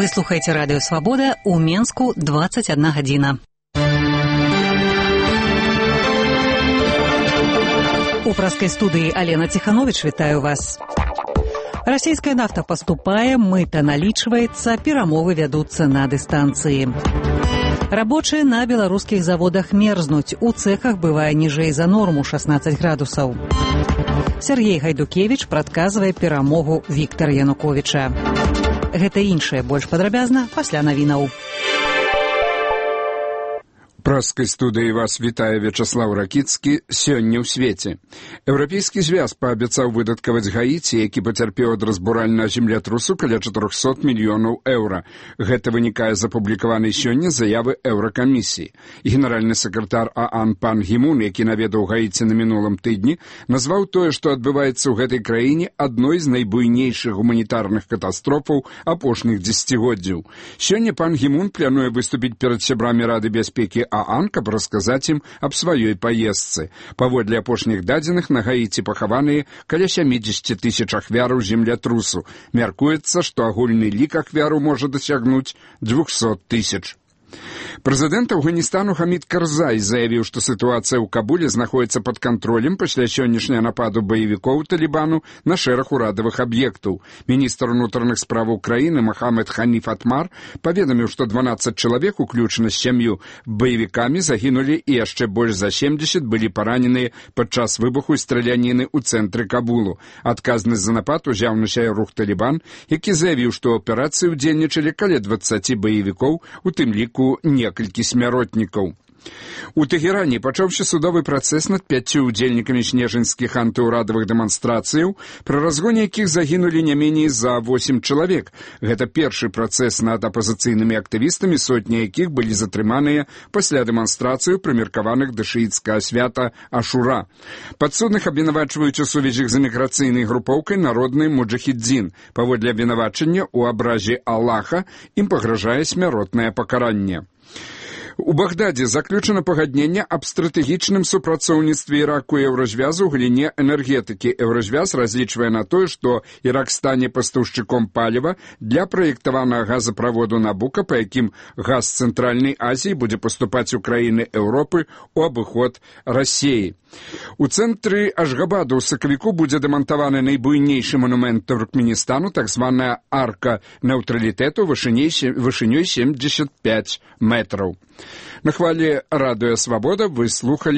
слухаеце радыё «Свабода», у Менску 21 гадзіна. У праскай студыі Алена Ціхановіч вітаю вас. Расійская нафта паступае, мыта налічваецца, перамовы вядуцца на дыстанцыі. Рабочыя на беларускіх заводах мерзнуць, у цэхах бывае ніжэй за норму 16 градусаў. Сергей Гайдукевіч прадказвае перамогу Віктара Януковіча. Гэта іншае больш падрабязна пасля навінаў. Праскай студыі вас вітае Вячаслаў Ракіцкі. Сёння ў свеце. Еўрапейскі звяз паабяцаў выдаткаваць Гаіці, які пацярпеў ад разбуральнага землятрусу каля 400 мільёнаў еўра. Гэта вынікае з апублікаванай сёння заявы Еўракамісіі. Генеральны сакратар ААН пан Гімун, які наведаў Гаіці на мінулым тыдні, назваў тое, што адбываецца ў гэтай краіне, адной з найбуйнейшых гуманітарных катастрофаў апошніх дзесяцігоддзяў. Сёння пан Гімун плануе выступіць перад сябрамі Рады бяспекі ААН, каб расказаць ім аб сваёй паездцы. Паводле апошніх дадзеных, на Гаіці пахаваныя каля 70 тысяч ахвяраў землятрусу. Мяркуецца, што агульны лік ахвяраў можа дасягнуць 200 тысяч. Прэзідэнт Афганістану Хамід Карзай заявіў, што сітуацыя ў Кабуле знаходзіцца пад кантролем пасля сённяшняга нападу баевікоў Талібану на шэраг урадавых аб'ектаў. Міністр унутраных справаў краіны Мохаммед Ханиф Атмар паведаміў, што 12 чалавек, уключна з 7 баевікамі, загінулі і яшчэ больш за 70 былі параненыя падчас выбуху і страляніны ў цэнтры Кабулу. Адказнасць за напад узяў на сябе рух Талібан, які заявіў, што ў аперацыі ўдзельнічалі каля 20 баевікоў, у тым ліку некалькі смяротнікаў. У Тэгеране пачаўся судовы працэс над 5 удзельнікамі снежаньскіх антыўрадавых дэманстрацыяў, пры разгоне якіх загінулі не меней за 8 чалавек. Гэта першы працэс над апазіцыйнымі актывістамі, сотні якіх былі затрыманыя пасля дэманстрацыяў, прымеркаваных да шыіцкага свята Ашура. Падсудных абвінавачваюць у сувязі з эміграцыйнай групоўкай «Народны муджахідзін». Паводле абвінавачання ў абразе Аллаха ім пагражае смяротнае пакаранне. У Багдадзе заключана пагадненне аб стратэгічным супрацоўніцтве Іраку і Еўразвязу ў галіне энергетыкі. Еўразвяз разлічвае на тое, што Ірак стане пастаўшчыком паліва для праектаванага газаправоду Набука, па якім газ з Цэнтральнай Азіі будзе паступаць у краіны Еўропы ў абыход Расіі. У цэнтры Ашгабаду ў сакавіку будзе дэмантаваны найбуйнейшы манумент Туркменістану, так званая арка нейтралітэту вышынёй 75 метраў. На хвалі радыё «Свабода» вы слухалі